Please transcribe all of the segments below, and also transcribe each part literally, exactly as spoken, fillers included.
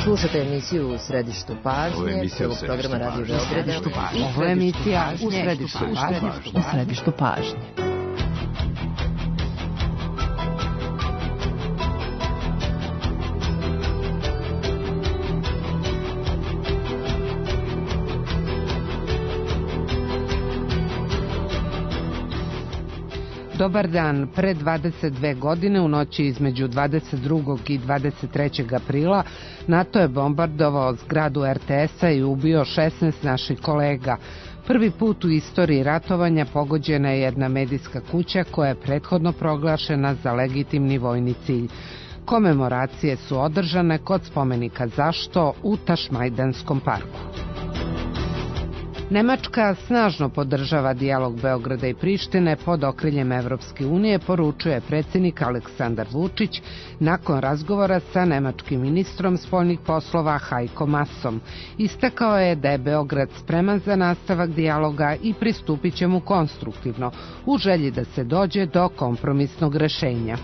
Slušate emisiju U središtu pažnje, prvog programa Radio Beograda. Ovo je emisija U središtu pažnje. U središtu pažnje. Dobar dan. Pre dvadeset dve godine u noći između dvadeset drugog i dvadeset trećeg aprila NATO je bombardovao zgradu er te esa i ubio šesnaest naših kolega. Prvi put u istoriji ratovanja pogođena je jedna medijska kuća koja je prethodno proglašena za legitimni vojni cilj. Komemoracije su održane kod spomenika Zašto u Tašmajdanskom parku. Nemačka snažno podržava dijalog Beograda i Prištine pod okriljem Evropske unije, poručuje predsjednik Aleksandar Vučić nakon razgovora sa nemačkim ministrom spoljnih poslova Heiko Maasom. Istakao je da je Beograd spreman za nastavak dijaloga i pristupit će mu konstruktivno u želji da se dođe do kompromisnog rešenja.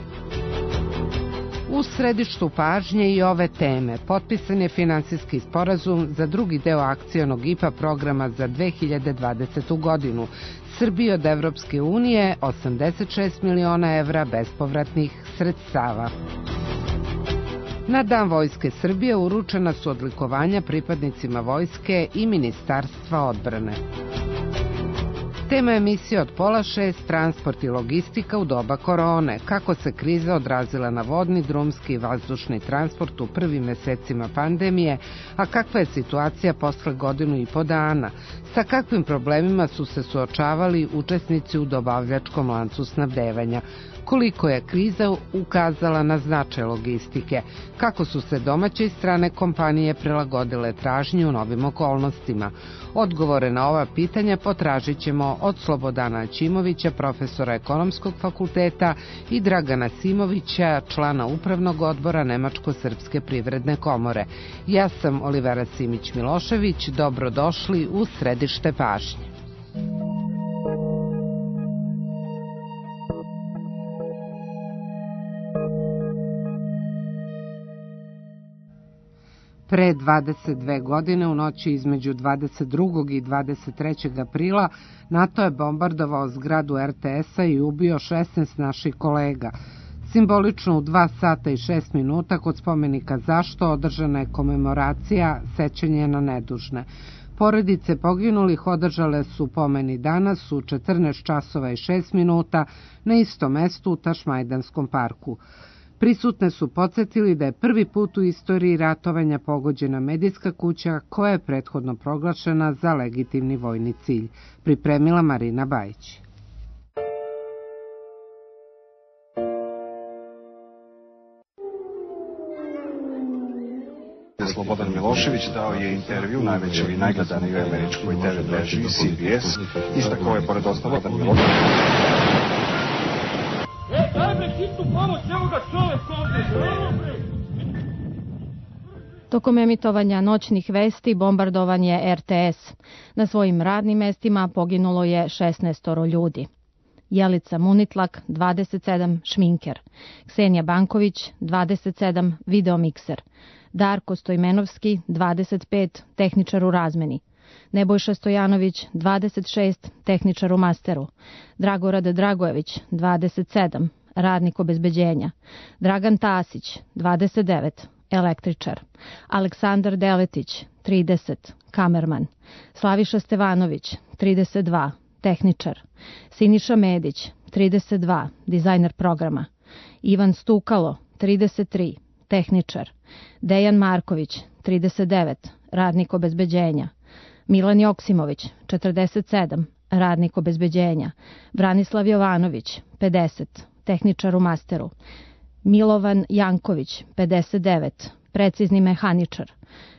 U središtu pažnje i ove teme potpisan je finansijski sporazum za drugi deo akcionog I P A programa za dve hiljade dvadesetu godinu. Srbiji od Evropske unije osamdeset šest miliona evra bespovratnih sredstava. Na Dan Vojske Srbije uručena su odlikovanja pripadnicima vojske i Ministarstva odbrane. Tema emisije od pola šest, transport i logistika u doba korone. Kako se kriza odrazila na vodni, drumski i vazdušni transport u prvim mesecima pandemije, a kakva je situacija posle godinu i po dana? Sa kakvim problemima su se suočavali učesnici u dobavljačkom lancu snabdevanja? Koliko je kriza ukazala na značaj logistike? Kako su se domaće i strane kompanije prilagodile tražnji u novim okolnostima? Odgovore na ova pitanja potražit ćemo od Slobodana Aćimovića, profesora Ekonomskog fakulteta, i Dragana Simovića, člana Upravnog odbora Nemačko-srpske privredne komore. Ja sam Olivera Simić-Milošević, dobrodošli u središte pažnje. Pre dvadeset dve godine u noći između dvadeset drugog i dvadeset trećeg aprila NATO je bombardovao zgradu er te esa i ubio šesnaest naših kolega. Simbolično u dva sata i šest minuta kod spomenika Zašto održana je komemoracija sećanje na nedužne. Porodice poginulih održale su pomeni danas u četrnaest časova i šest minuta na istom mestu u Tašmajdanskom parku. Prisutne su podsjetili da je prvi put u istoriji ratovanja pogođena medijska kuća koja je prethodno proglašena za legitimni vojni cilj. Pripremila Marina Bajić. Slobodan Milošević dao je intervju najvećoj i najgledanijoj američkoj te ve mreži C B S. Istakao je pored ostalog da Milošević... E, daj me hitnu pomoć, evo ga čovek ovdje. Tokom emitovanja noćnih vesti bombardovan je er te es. Na svojim radnim mestima poginulo je šesnaestoro ljudi. Jelica Munitlak, dvadeset sedam, šminker. Ksenija Banković, dvadeset sedam, videomikser. Darko Stojmenovski, dvadeset pet, tehničar u razmeni. Nebojša Stojanović, dvadeset šest, tehničar u masteru. Dragorad Dragojević, dvadeset sedam, radnik obezbeđenja. Dragan Tasić, dvadeset devet, električar. Aleksandar Deletić, trideset, kamerman. Slaviša Stevanović, trideset dva, tehničar. Siniša Medić, trideset dva, dizajner programa. Ivan Stukalo, trideset tri, tehničar. Dejan Marković, trideset devet, radnik obezbeđenja. Milan Joksimović, četrdeset sedam, radnik obezbeđenja. Branislav Jovanović, pedeset, tehničar u masteru. Milovan Janković, pedeset devet, precizni mehaničar.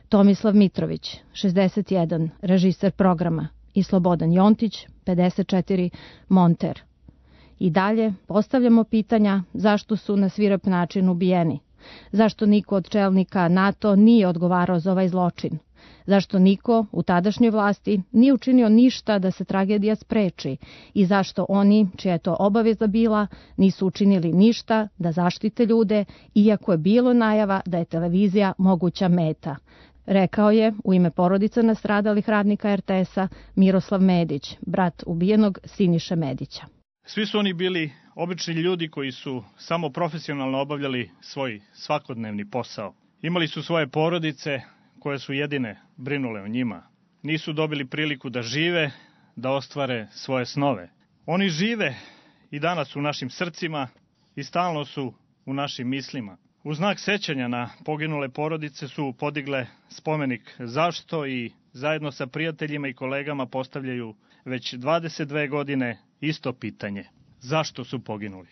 Tomislav Mitrović, šezdeset jedan, režiser programa. I Slobodan Jontić, pedeset četiri, monter. I dalje postavljamo pitanja zašto su na svirep način ubijeni. Zašto niko od čelnika NATO nije odgovarao za ovaj zločin? Zašto niko u tadašnjoj vlasti nije učinio ništa da se tragedija spreči i zašto oni, čija je to obaveza bila, nisu učinili ništa da zaštite ljude, iako je bilo najava da je televizija moguća meta, rekao je u ime porodica nastradalih radnika er te es-a Miroslav Medić, brat ubijenog Siniše Medića. Svi su oni bili obični ljudi koji su samo profesionalno obavljali svoj svakodnevni posao. Imali su svoje porodice koje su jedine brinule o njima. Nisu dobili priliku da žive, da ostvare svoje snove. Oni žive i danas u našim srcima i stalno su u našim mislima. U znak sećanja na poginule porodice su podigle spomenik zašto i zajedno sa prijateljima i kolegama postavljaju već dvadeset dve godine isto pitanje. Zašto su poginuli?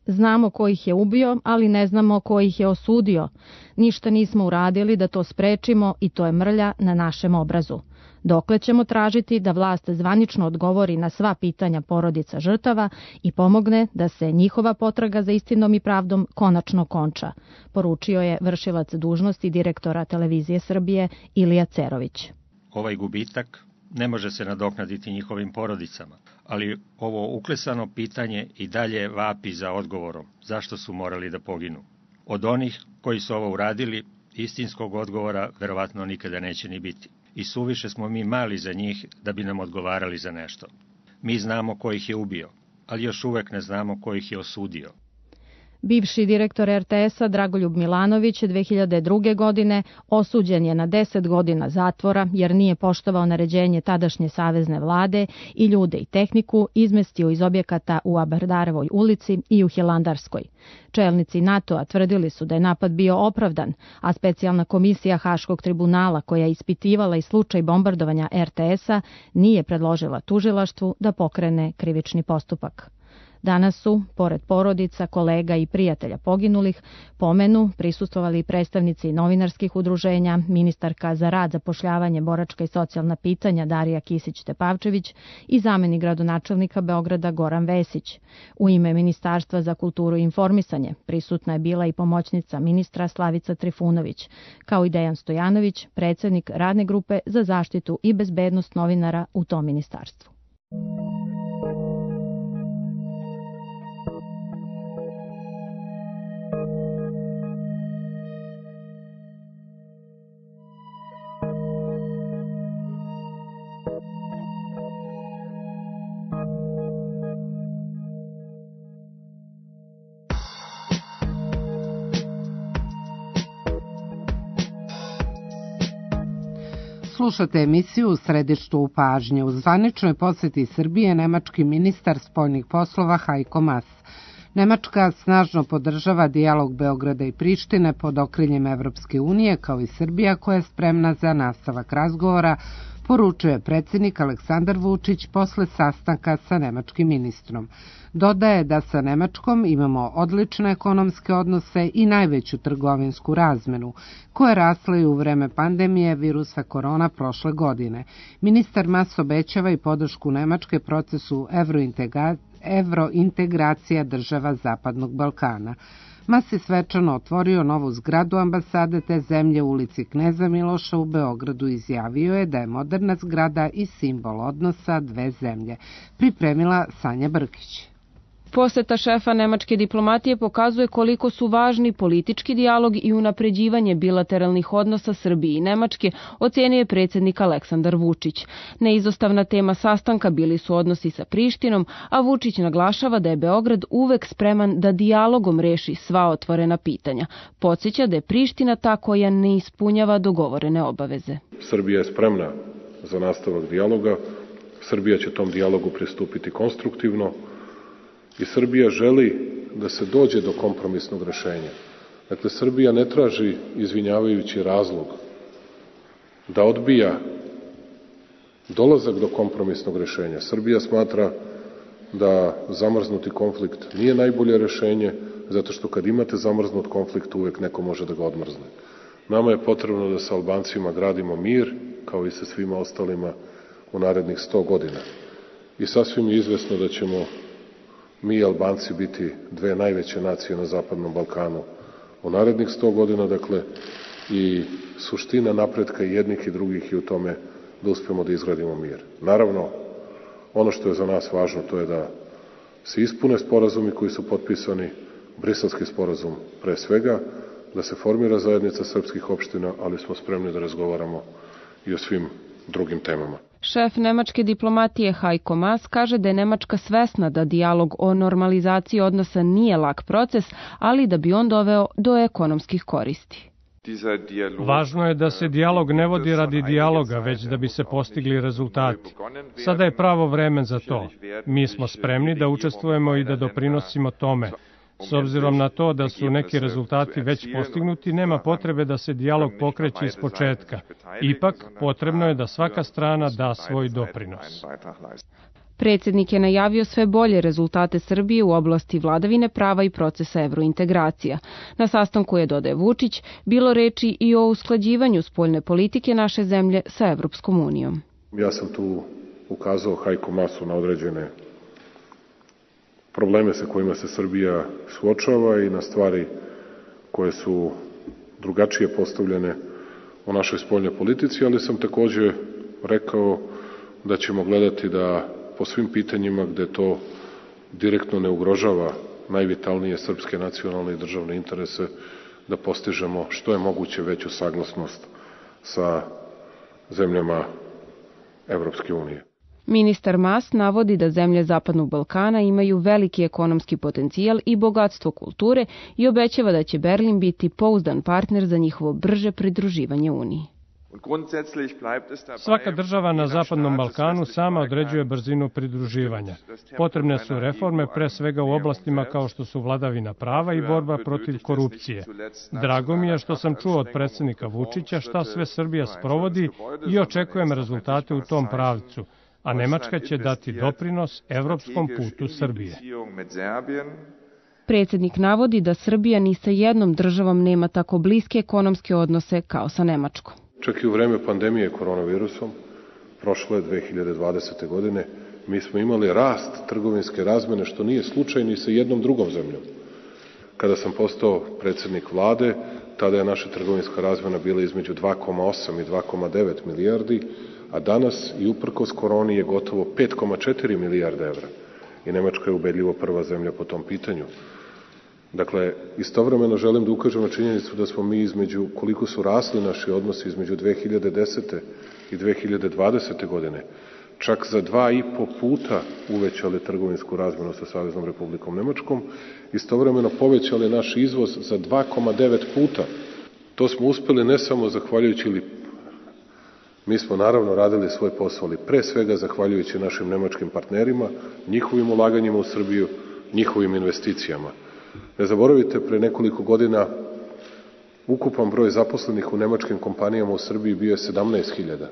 Znamo ko ih je ubio, ali ne znamo ko ih je osudio. Ništa nismo uradili da to sprečimo i to je mrlja na našem obrazu. Dokle ćemo tražiti da vlast zvanično odgovori na sva pitanja porodica žrtava i pomogne da se njihova potraga za istinom i pravdom konačno konča, poručio je vršilac dužnosti direktora Televizije Srbije Ilija Cerović. Ovaj gubitak ne može se nadoknaditi njihovim porodicama, ali ovo uklesano pitanje i dalje vapi za odgovorom zašto su morali da poginu. Od onih koji su ovo uradili, istinskog odgovora verovatno nikada neće ni biti. I suviše smo mi mali za njih da bi nam odgovarali za nešto. Mi znamo ko ih je ubio, ali još uvek ne znamo ko ih je osudio. Bivši direktor er te es-a Dragoljub Milanović dve hiljade druge. godine osuđen je na deset godina zatvora jer nije poštovao naređenje tadašnje savezne vlade i ljude i tehniku izmestio iz objekata u Abardarevoj ulici i u Hilandarskoj. Čelnici NATO-a tvrdili su da je napad bio opravdan, a specijalna komisija Haškog tribunala koja je ispitivala i slučaj bombardovanja er te es-a nije predložila tužilaštvu da pokrene krivični postupak. Danas su, pored porodica, kolega i prijatelja poginulih, pomenu prisustvovali predstavnici novinarskih udruženja, ministarka za rad, zapošljavanje, boračka i socijalna pitanja Darija Kisić-Tepavčević i zamenik gradonačelnika Beograda Goran Vesić. U ime Ministarstva za kulturu i informisanje prisutna je bila i pomoćnica ministra Slavica Trifunović, kao i Dejan Stojanović, predsednik radne grupe za zaštitu i bezbednost novinara u tom ministarstvu. Slušate emisiju U središtu u pažnje. U zvaničnoj poseti Srbije nemački ministar spoljnih poslova Heiko Maas. Nemačka snažno podržava dijalog Beograda i Prištine pod okriljem Evropske unije, kao i Srbija koja je spremna za nastavak razgovora, poručuje predsjednik Aleksandar Vučić posle sastanka sa nemačkim ministrom. Dodaje da sa Nemačkom imamo odlične ekonomske odnose i najveću trgovinsku razmenu, koja je rasla i u vreme pandemije virusa korona prošle godine. Ministar Maas obećava i podršku Nemačke procesu evrointegracije evrointegracija država Zapadnog Balkana. Maas je svečano otvorio novu zgradu ambasade te zemlje u ulici Kneza Miloša u Beogradu. Izjavio je da je moderna zgrada i simbol odnosa dve zemlje. Pripremila Sanja Brkić. Poseta šefa nemačke diplomatije pokazuje koliko su važni politički dijalog i unapređivanje bilateralnih odnosa Srbije i Nemačke, ocenio je predsjednik Aleksandar Vučić. Neizostavna tema sastanka bili su odnosi sa Prištinom, a Vučić naglašava da je Beograd uvek spreman da dijalogom reši sva otvorena pitanja. Podsjeća da je Priština ta koja ne ispunjava dogovorene obaveze. Srbija je spremna za nastavak dijaloga. Srbija će tom dijalogu pristupiti konstruktivno. I Srbija želi da se dođe do kompromisnog rešenja. Dakle, Srbija ne traži izvinjavajući razlog da odbija dolazak do kompromisnog rešenja. Srbija smatra da zamrznuti konflikt nije najbolje rešenje, zato što kad imate zamrznut konflikt, uvek neko može da ga odmrzne. Nama je potrebno da sa Albancima gradimo mir, kao i sa svima ostalima u narednih sto godina. I sasvim je izvesno da ćemo mi i Albanci biti dve najveće nacije na Zapadnom Balkanu u narednih sto godina, dakle, i suština napretka jednih i drugih je u tome da uspemo da izgradimo mir. Naravno, ono što je za nas važno to je da se ispune sporazumi koji su potpisani, Briselski sporazum pre svega, da se formira zajednica srpskih opština, ali smo spremni da razgovaramo i o svim drugim temama. Šef nemačke diplomatije Heiko Maas kaže da je Nemačka svesna da dijalog o normalizaciji odnosa nije lak proces, ali da bi on doveo do ekonomskih koristi. Važno je da se dijalog ne vodi radi dijaloga, već da bi se postigli rezultati. Sada je pravo vreme za to. Mi smo spremni da učestvujemo i da doprinosimo tome. S obzirom na to da su neki rezultati već postignuti, nema potrebe da se dijalog pokreće iz početka. Ipak, potrebno je da svaka strana da svoj doprinos. Predsjednik je najavio sve bolje rezultate Srbije u oblasti vladavine prava i procesa evrointegracija. Na sastanku je, dodaje Vučić, bilo reči i o usklađivanju spoljne politike naše zemlje sa Evropskom unijom. Ja sam tu ukazao Heiko Maasu na određene probleme sa kojima se Srbija suočava i na stvari koje su drugačije postavljene u našoj spoljnoj politici, ali sam takođe rekao da ćemo gledati da po svim pitanjima gde to direktno ne ugrožava najvitalnije srpske nacionalne i državne interese, da postižemo što je moguće veću saglasnost sa zemljama Evropske unije. Ministar Maas navodi da zemlje Zapadnog Balkana imaju veliki ekonomski potencijal i bogatstvo kulture i obećava da će Berlin biti pouzdan partner za njihovo brže pridruživanje Uniji. Svaka država na Zapadnom Balkanu sama određuje brzinu pridruživanja. Potrebne su reforme pre svega u oblastima kao što su vladavina prava i borba protiv korupcije. Drago mi je što sam čuo od predsjednika Vučića šta sve Srbija sprovodi i očekujem rezultate u tom pravcu, a Nemačka će dati doprinos evropskom putu Srbije. Predsjednik navodi da Srbija ni sa jednom državom nema tako bliske ekonomske odnose kao sa Nemačkom. Čak i u vreme pandemije koronavirusom, prošle dve hiljade dvadesete. godine, mi smo imali rast trgovinske razmene, što nije slučaj ni sa jednom drugom zemljom. Kada sam postao predsjednik vlade, tada je naša trgovinska razmena bila između dva zarez osam i dva zarez devet milijardi, a danas i uprkos koroni je gotovo pet zarez četiri milijarde evra. I Nemačka je ubedljivo prva zemlja po tom pitanju. Dakle, istovremeno želim da ukažem na činjenicu da smo mi između, koliko su rasli naši odnosi između dve hiljade desete. i dve hiljade dvadesete. godine, čak za dva i po puta uvećali trgovinsku razmenu sa Saveznom Republikom Nemačkom, istovremeno povećali naš izvoz za dva zarez devet puta. To smo uspeli ne samo zahvaljujući, ili mi smo naravno radili svoj posao, ali pre svega zahvaljujući našim nemačkim partnerima, njihovim ulaganjima u Srbiju, njihovim investicijama. Ne zaboravite, pre nekoliko godina ukupan broj zaposlenih u nemačkim kompanijama u Srbiji bio je sedamnaest hiljada.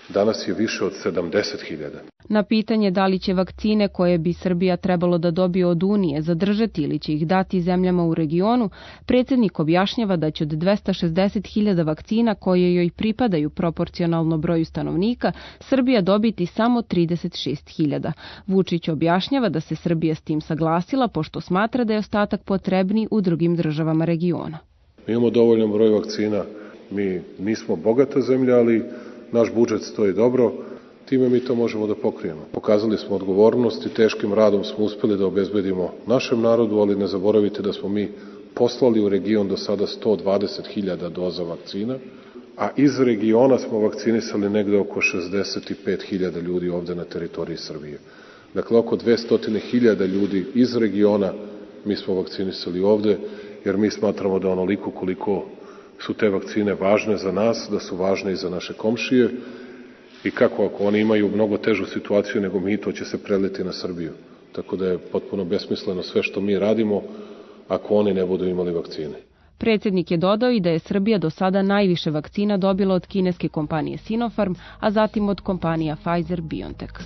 Danas je više od sedamdeset hiljada. Na pitanje da li će vakcine koje bi Srbija trebalo da dobije od Unije zadržati ili će ih dati zemljama u regionu, predsjednik objašnjava da će od dvesta šezdeset hiljada vakcina koje joj pripadaju proporcionalno broju stanovnika, Srbija dobiti samo trideset šest hiljada. Vučić objašnjava da se Srbija s tim saglasila, pošto smatra da je ostatak potrebniji u drugim državama regiona. Mi imamo dovoljan broj vakcina, mi nismo bogata zemlja, ali naš budžet stoji dobro, time mi to možemo da pokrijemo. Pokazali smo odgovornost i teškim radom smo uspeli da obezbedimo našem narodu, ali ne zaboravite da smo mi poslali u region do sada sto dvadeset hiljada doza vakcina, a iz regiona smo vakcinisali negde oko šezdeset pet hiljada ljudi ovde na teritoriji Srbije. Dakle, oko dvesta hiljada ljudi iz regiona mi smo vakcinisali ovde, jer mi smatramo da onoliko koliko su te vakcine važne za nas, da su važne i za naše komšije, i kako ako oni imaju mnogo težu situaciju nego mi, to će se preliti na Srbiju. Tako da je potpuno besmisleno sve što mi radimo ako oni ne budu imali vakcine. Predsjednik je dodao i da je Srbija do sada najviše vakcina dobila od kineske kompanije Sinopharm, a zatim od kompanija Pfizer-BioNTech.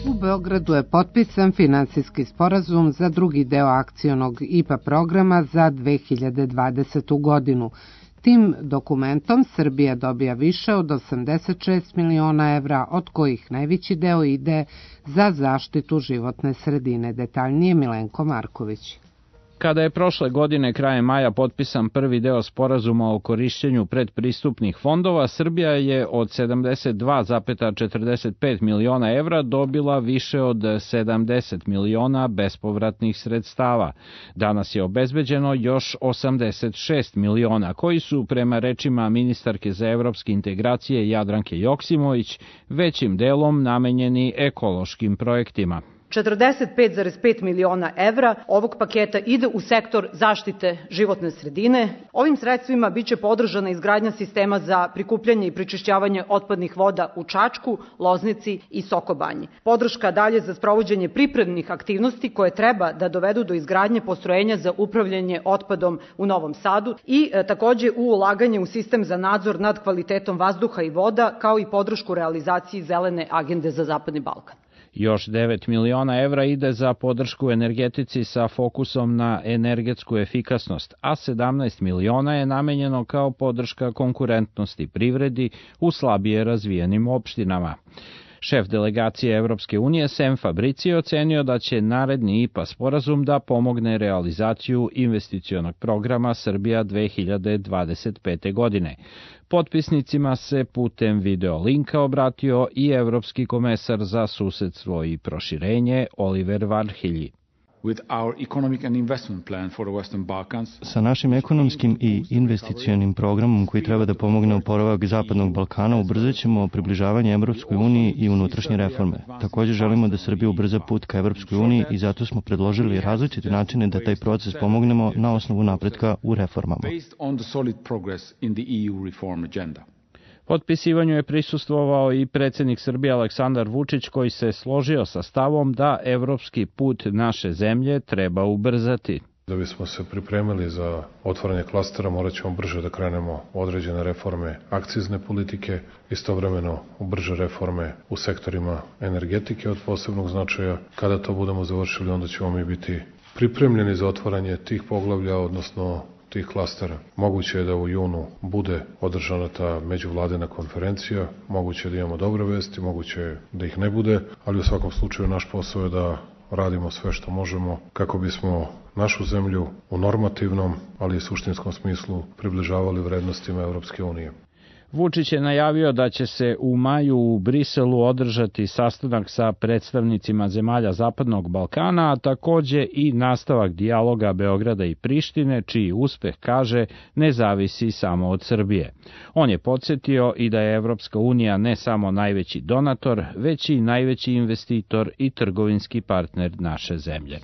U Beogradu je potpisan finansijski sporazum za drugi deo akcionog I P A programa za dve hiljade dvadesetu. godinu. Tim dokumentom Srbija dobija više od osamdeset šest miliona evra, od kojih najveći deo ide za zaštitu životne sredine. Detaljnije Milenko Marković. Kada je prošle godine krajem maja potpisan prvi deo sporazuma o korišćenju predpristupnih fondova, Srbija je od sedamdeset dva zarez četrdeset pet miliona evra dobila više od sedamdeset miliona bespovratnih sredstava. Danas je obezbeđeno još osamdeset šest miliona, koji su, prema rečima ministarke za evropske integracije Jadranke Joksimović, većim delom namenjeni ekološkim projektima. četrdeset pet zarez pet miliona evra ovog paketa ide u sektor zaštite životne sredine. Ovim sredstvima biće podržana izgradnja sistema za prikupljanje i prečišćavanje otpadnih voda u Čačku, Loznici i Sokobanji. Podrška dalje za sprovođenje pripremnih aktivnosti koje treba da dovedu do izgradnje postrojenja za upravljanje otpadom u Novom Sadu i e, takođe u ulaganje u sistem za nadzor nad kvalitetom vazduha i voda, kao i podršku realizaciji zelene agende za Zapadni Balkan. Još devet miliona evra ide za podršku energetici sa fokusom na energetsku efikasnost, a sedamnaest miliona je namenjeno kao podrška konkurentnosti privredi u slabije razvijenim opštinama. Šef delegacije Evropske unije Sem Fabrici je ocenio da će naredni I P A sporazum da pomogne realizaciju investicionog programa Srbija dve hiljade dvadeset pete. godine. Potpisnicima se putem video linka obratio i Evropski komesar za susedstvo i proširenje Oliver Varhelyi. Sa našim ekonomskim i investicionim programom koji treba da pomogne oporavak Zapadnog Balkana, ubrzat ćemo približavanje Evropskoj uniji i unutrašnje reforme. Također želimo da Srbija ubrza put ka Evropskoj uniji i zato smo predložili različite načine da taj proces pomognemo na osnovu napretka u reformama. Potpisivanju je prisustvovao i predsjednik Srbije Aleksandar Vučić, koji se složio sa stavom da evropski put naše zemlje treba ubrzati. Da bismo se pripremili za otvaranje klastera, morat ćemo brže da krenemo u određene reforme akcizne politike, istovremeno u brže reforme u sektorima energetike od posebnog značaja. Kada to budemo završili, onda ćemo mi biti pripremljeni za otvaranje tih poglavlja, odnosno tih klastera. Moguće je da u junu bude održana ta međuvladina konferencija, moguće je da imamo dobre vesti, moguće je da ih ne bude, ali u svakom slučaju naš posao je da radimo sve što možemo kako bismo našu zemlju u normativnom, ali i suštinskom smislu približavali vrednostima Evropske unije. Vučić je najavio da će se u maju u Briselu održati sastanak sa predstavnicima zemalja Zapadnog Balkana, a takođe i nastavak dijaloga Beograda i Prištine, čiji uspeh, kaže, ne zavisi samo od Srbije. On je podsjetio i da je Evropska unija ne samo najveći donator, već i najveći investitor i trgovinski partner naše zemlje.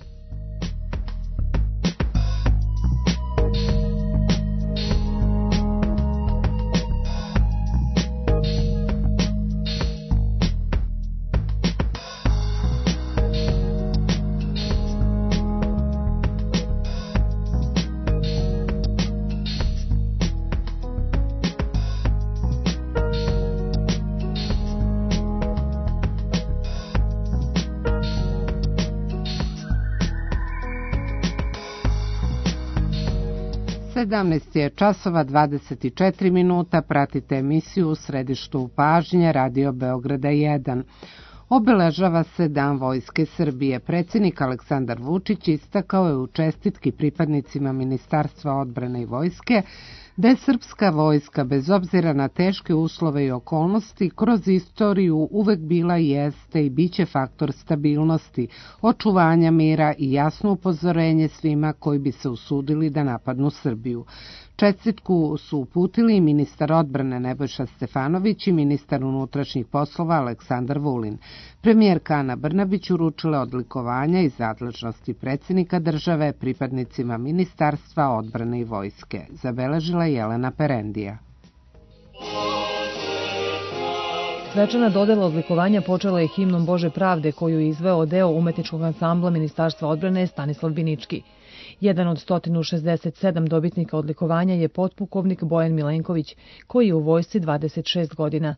sedamnaest je časova dvadeset četiri minuta, pratite emisiju U središtu pažnje Radio Beograda jedan. Obeležava se Dan Vojske Srbije. Predsjednik Aleksandar Vučić istakao je u čestitki pripadnicima Ministarstva odbrane i vojske da je srpska vojska, bez obzira na teške uslove i okolnosti, kroz istoriju uvek bila, jeste i biće faktor stabilnosti, očuvanja mira i jasno upozorenje svima koji bi se usudili da napadnu Srbiju. Čestitku su uputili i ministar odbrane Nebojša Stefanović i ministar unutrašnjih poslova Aleksandar Vulin. Premijerka Ana Brnabić uručila odlikovanja iz nadležnosti predsjednika države pripadnicima Ministarstva odbrane i vojske, zabeležila Jelena Perendija. Svečana dodela odlikovanja počela je himnom Bože pravde koju je izveo deo umetničkog ansambla Ministarstva odbrane Stanislav Binički. Jedan od sto šezdeset sedam dobitnika odlikovanja je potpukovnik Bojan Milenković, koji je u vojsci dvadeset šest godina.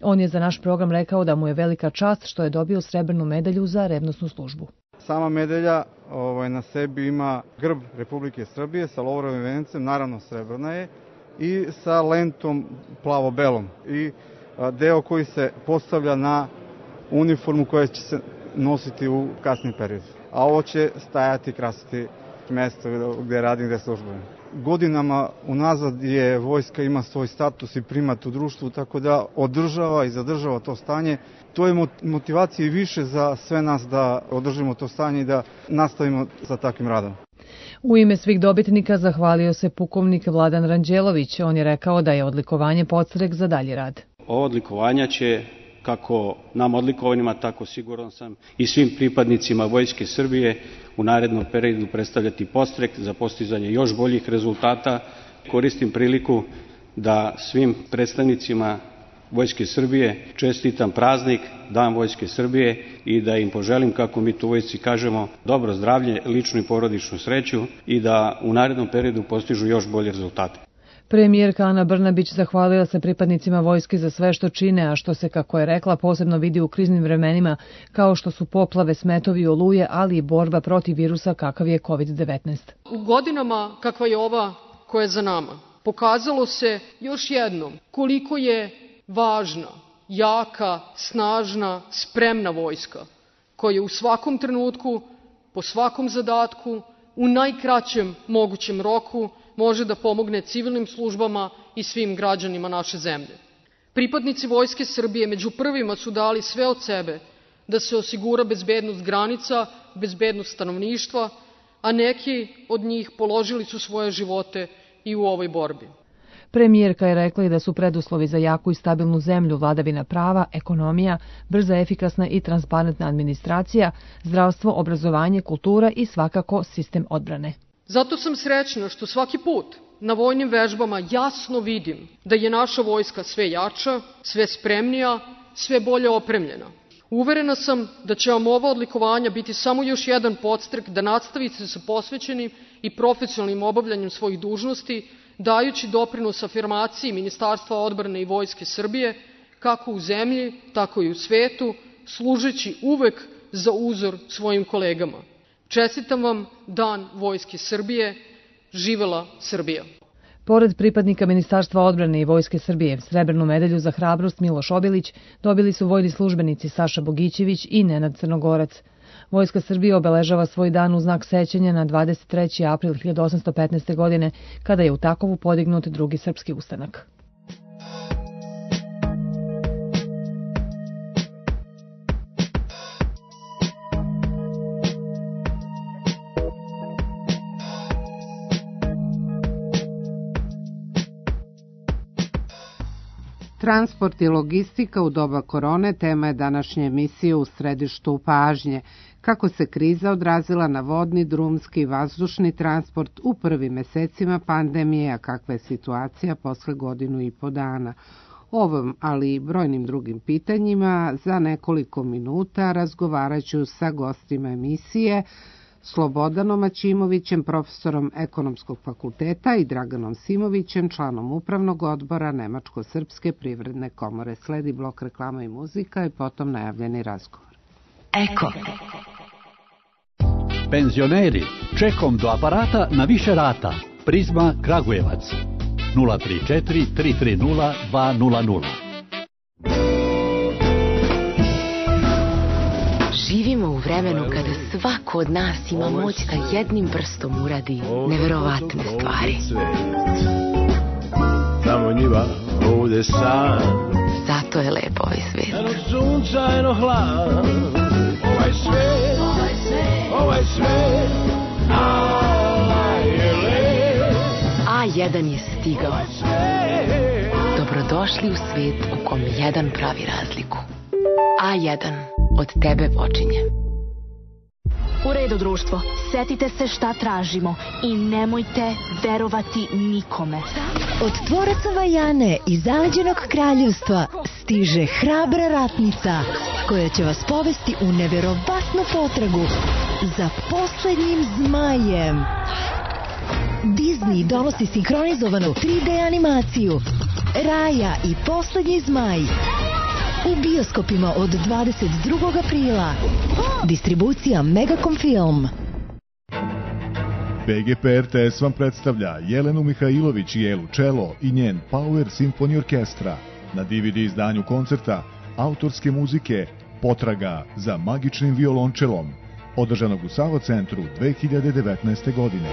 On je za naš program rekao da mu je velika čast što je dobio srebrnu medalju za revnosnu službu. Sama medalja ovaj, na sebi ima grb Republike Srbije sa lovorovim vencem, naravno srebrna je, i sa lentom plavo-belom i deo koji se postavlja na uniformu koja će se nositi u kasnim periodu. A ovo će stajati i krasiti mesto gde radim, gde službujem. Godinama unazad je vojska ima svoj status i primat u društvu, tako da održava i zadržava to stanje. To je motivacija i više za sve nas da održimo to stanje i da nastavimo sa takvim radom. U ime svih dobitnika zahvalio se pukovnik Vladan Ranđelović. On je rekao da je odlikovanje podstrek za dalji rad. Ovo odlikovanja će, kako nam odlikovanima, tako siguran sam i svim pripadnicima Vojske Srbije u narednom periodu predstavljati podstrek za postizanje još boljih rezultata. Koristim priliku da svim predstavnicima Vojske Srbije čestitam praznik, Dan Vojske Srbije, i da im poželim, kako mi tu vojsci kažemo, dobro zdravlje, ličnu i porodičnu sreću i da u narednom periodu postižu još bolje rezultate. Premijerka Ana Brnabić zahvalila se pripadnicima vojske za sve što čine, a što se, kako je rekla, posebno vidi u kriznim vremenima, kao što su poplave, smetovi i oluje, ali i borba protiv virusa kakav je kovid devetnaest. U godinama kakva je ova koja je za nama, pokazalo se još jednom koliko je važna, jaka, snažna, spremna vojska, koja u svakom trenutku, po svakom zadatku, u najkraćem mogućem roku, može da pomogne civilnim službama i svim građanima naše zemlje. Pripadnici Vojske Srbije među prvima su dali sve od sebe da se osigura bezbednost granica, bezbednost stanovništva, a neki od njih položili su svoje živote i u ovoj borbi. Premijerka je rekla i da su preduslovi za jaku i stabilnu zemlju vladavina prava, ekonomija, brza, efikasna i transparentna administracija, zdravstvo, obrazovanje, kultura i svakako sistem odbrane. Zato sam srećna što svaki put na vojnim vežbama jasno vidim da je naša vojska sve jača, sve spremnija, sve bolje opremljena. Uverena sam da će vam ova odlikovanja biti samo još jedan podstrek da nastavite sa posvećenim i profesionalnim obavljanjem svojih dužnosti, dajući doprinos afirmaciji Ministarstva odbrane i Vojske Srbije, kako u zemlji, tako i u svetu, služeći uvek za uzor svojim kolegama. Čestitam vam Dan Vojske Srbije. Živela Srbija. Pored pripadnika Ministarstva odbrane i Vojske Srbije, srebrnu medalju za hrabrost Miloš Obilić dobili su vojni službenici Saša Bogićević i Nenad Crnogorac. Vojska Srbije obeležava svoj dan u znak sećanja na dvadeset treći april hiljadu osamsto petnaeste. godine, kada je u Takovu podignut drugi srpski ustanak. Transport i logistika u doba korone tema je današnje emisije U središtu pažnje. Kako se kriza odrazila na vodni, drumski i vazdušni transport u prvim mesecima pandemije, a kakva je situacija posle godinu i po dana. Ovom, ali i brojnim drugim pitanjima, za nekoliko minuta razgovarat ću sa gostima emisije, Slobodanom Aćimovićem, profesorom Ekonomskog fakulteta, i Draganom Simovićem, članom Upravnog odbora Nemačko-srpske privredne komore. Sledi blok reklama i muzika i potom najavljeni razgovor. Eko. Penzioneri, čekom do aparata na više rata. Prizma Kragujevac. nula tri četiri tri tri nula dva nula nula. Živimo u vremenu kada svako od nas ima moć da jednim prstom uradi neverovatne stvari. Tamo njiva, ovde san. Zato je lep ovaj svijet. Eno sunca, eno hlad. Ovaj svijet, ovaj svijet, a je lep. A jedan je stigao. Dobrodošli u svijet u kom jedan pravi razliku. A jedan od tebe počinje. U redu, društvo, setite se šta tražimo i nemojte verovati nikome. Od tvoraca Vajane iz zaleđenog kraljevstva stiže hrabra ratnica koja će vas povesti u neverovatnu potragu za poslednjim zmajem. Disney donosi sinhronizovanu tri D animaciju Raja i poslednji zmaj u bioskopima od dvadeset drugog aprila. Distribucija Megacom Film. B G P R T S vam predstavlja Jelenu Mihajlović i Elu Čelo i njen Power Symphony Orkestra na D V D izdanju koncerta autorske muzike Potraga za magičnim violončelom, održanog u Savo centru dve hiljade devetnaeste. godine.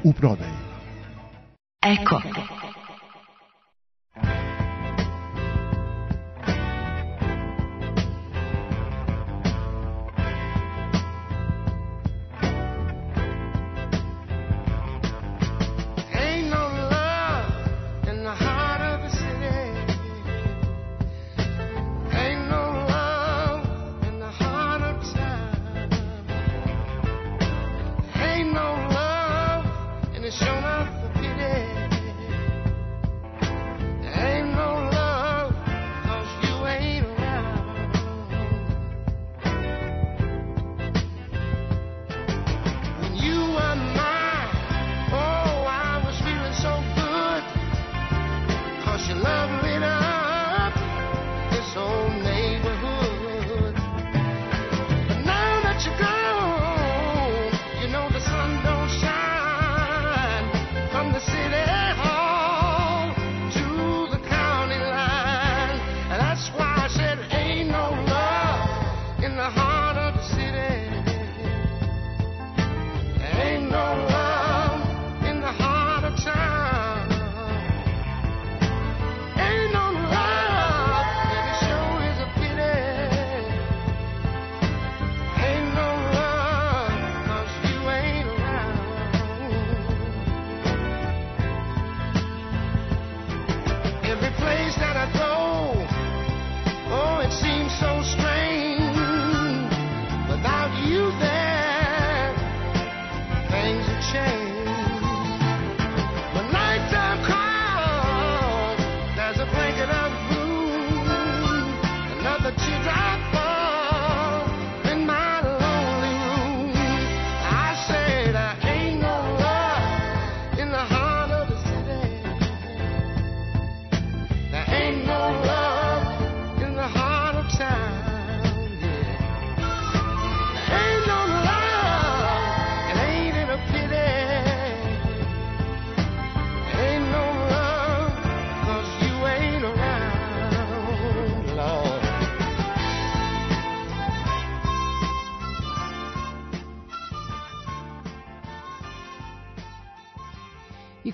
U prodaji. Eko.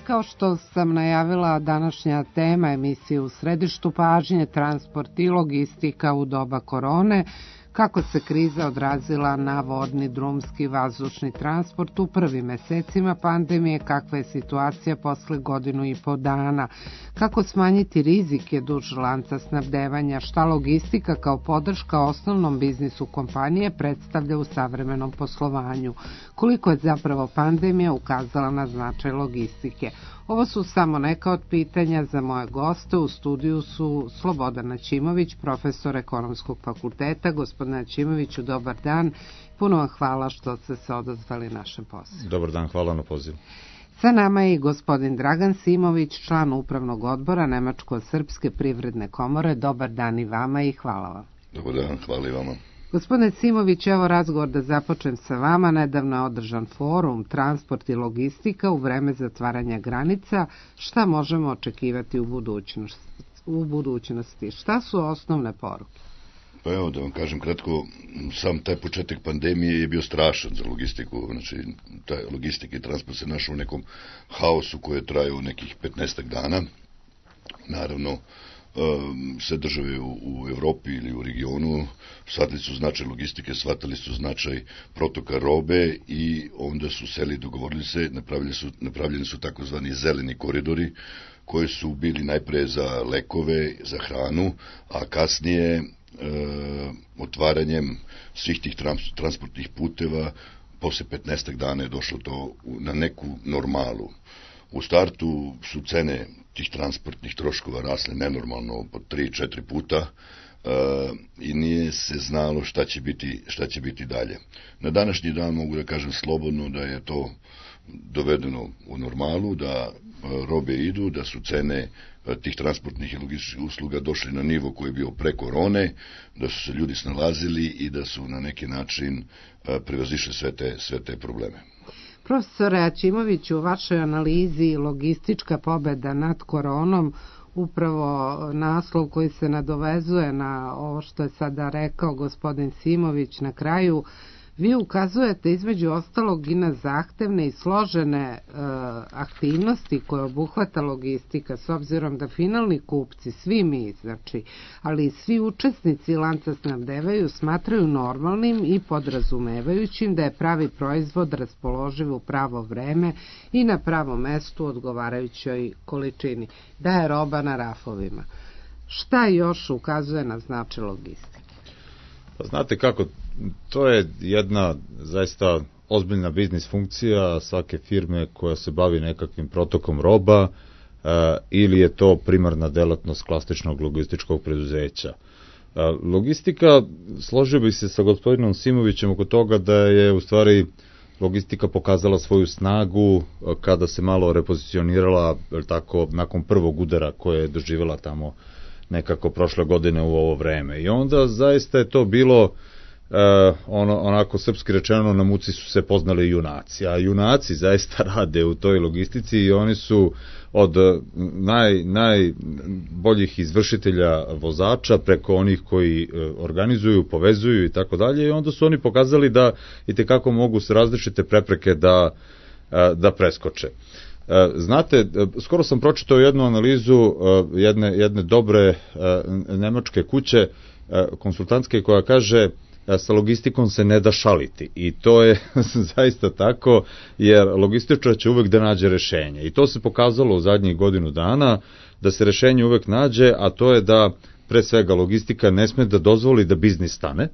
Kao što sam najavila, današnja tema emisije u središtu pažnje, transport i logistika u doba korone, kako se kriza odrazila na vodni, drumski, vazdušni transport u prvim mesecima pandemije, kakva je situacija posle godinu i po dana, kako smanjiti rizike duž lanca snabdevanja, šta logistika kao podrška osnovnom biznisu kompanije predstavlja u savremenom poslovanju, koliko je zapravo pandemija ukazala na značaj logistike. Ovo su samo neka od pitanja za moje goste. U studiju su Slobodan Načimović, profesor Ekonomskog fakulteta. Gospodine Načimoviću, dobar dan. Puno vam hvala što ste se odazvali našem pozivu. Dobar dan, hvala na pozivu. Sa nama je i gospodin Dragan Simović, član upravnog odbora Nemačko-srpske privredne komore. Dobar dan i vama i hvala vam. Dobar dan, hvala i vama. Gospodine Simović, evo razgovor da započnem sa vama. Nedavno je održan forum Transport i logistika u vreme zatvaranja granica. Šta možemo očekivati u budućnosti? U budućnosti? Šta su osnovne poruke? Pa evo da vam kažem kratko, sam taj početak pandemije je bio strašan za logistiku. Znači, taj logistika i transport se našao u nekom haosu koji je trajao nekih petnaestak dana. Naravno, sve države u, u Evropi ili u regionu shvatili su značaj logistike, shvatili su značaj protoka robe i onda su seli, dogovorili se, napravljeni su, napravljeni su takozvani zeleni koridori koji su bili najpre za lekove, za hranu, a kasnije e, otvaranjem svih tih trans, transportnih puteva posle petnaestak dana je došlo to na neku normalu. U startu su cene tih transportnih troškova rasle nenormalno po tri četiri puta e, i nije se znalo šta će biti, šta će biti dalje. Na današnji dan mogu da kažem slobodno da je to dovedeno u normalu, da robe idu, da su cene tih transportnih i logističkih usluga došli na nivo koji je bio pre korone, da su se ljudi snalazili i da su na neki način prevazišli sve te, sve te probleme. Profesore Aćimoviću, u vašoj analizi logistička pobeda nad koronom, upravo naslov koji se nadovezuje na ovo što je sada rekao gospodin Simović na kraju, vi ukazujete između ostalog i na zahtevne i složene e, aktivnosti koje obuhvata logistika, s obzirom da finalni kupci, svi mi, znači, ali i svi učesnici lanca snabdevaju, smatraju normalnim i podrazumevajućim da je pravi proizvod raspoloživ u pravo vreme i na pravom mestu u odgovarajućoj količini, da je roba na rafovima. Šta još ukazuje na značaj logistike? Pa znate kako, to je jedna zaista ozbiljna biznis funkcija svake firme koja se bavi nekakvim protokom roba, e, ili je to primarna delatnost klasičnog logističkog preduzeća. E, logistika, složio bih se sa gospodinom Simovićem oko toga da je u stvari logistika pokazala svoju snagu kada se malo repozicionirala, tako, nakon prvog udara koje je doživjela tamo nekako prošle godine u ovo vreme. I onda zaista je to bilo uh, ono, onako srpski rečeno, na muci su se poznali junaci, a junaci zaista rade u toj logistici i oni su od naj, najboljih izvršitelja vozača preko onih koji uh, organizuju, povezuju i tako dalje, i onda su oni pokazali da itekako mogu se različite prepreke da, uh, da preskoče. Znate, skoro sam pročitao jednu analizu jedne, jedne dobre nemačke kuće konsultantske koja kaže sa logistikom se ne da šaliti, i to je zaista tako, jer logističar će uvek da nađe rešenje, i to se pokazalo u zadnjih godinu dana da se rešenje uvek nađe, a to je da pre svega logistika ne sme da dozvoli da biznis stane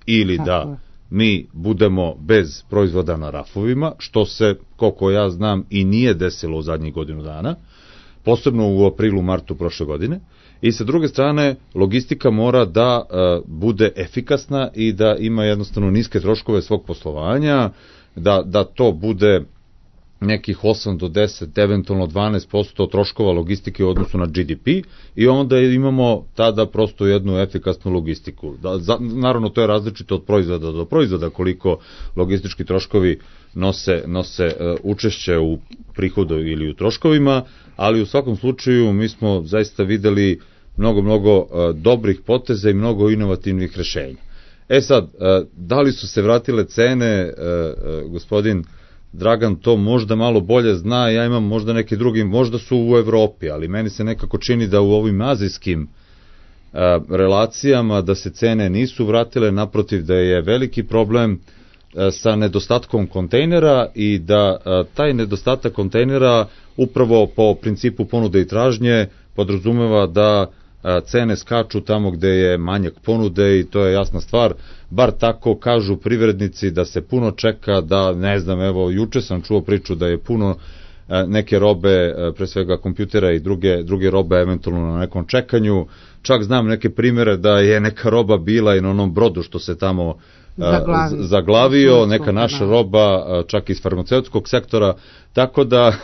ili da mi budemo bez proizvoda na rafovima, što se, koliko ja znam, i nije desilo u zadnjih godinu dana, posebno u aprilu, martu prošle godine. I sa druge strane, logistika mora da uh, bude efikasna i da ima jednostavno niske troškove svog poslovanja, da, da to bude nekih osam do deset, eventualno dvanaest posto troškova logistike u odnosu na G D P, i onda imamo tada prosto jednu efikasnu logistiku. Da, za, naravno, to je različito od proizvoda do proizvoda, koliko logistički troškovi nose, nose uh, učešće u prihodu ili u troškovima, ali u svakom slučaju mi smo zaista videli mnogo, mnogo uh, dobrih poteza i mnogo inovativnih rešenja. E sad, uh, da li su se vratile cene, uh, uh, gospodin Dragan to možda malo bolje zna, ja imam možda neki drugi, možda su u Evropi, ali meni se nekako čini da u ovim azijskim a, relacijama da se cene nisu vratile, naprotiv da je veliki problem a, sa nedostatkom kontejnera, i da a, taj nedostatak kontejnera upravo po principu ponude i tražnje podrazumeva da cene skaču tamo gde je manjak ponude, i to je jasna stvar, bar tako kažu privrednici, da se puno čeka, da ne znam, evo juče sam čuo priču da je puno neke robe, pre svega kompjutera i druge, druge robe eventualno na nekom čekanju, čak znam neke primere da je neka roba bila i na onom brodu što se tamo Zaglavio. zaglavio, neka naša roba, čak iz farmaceutskog sektora, tako da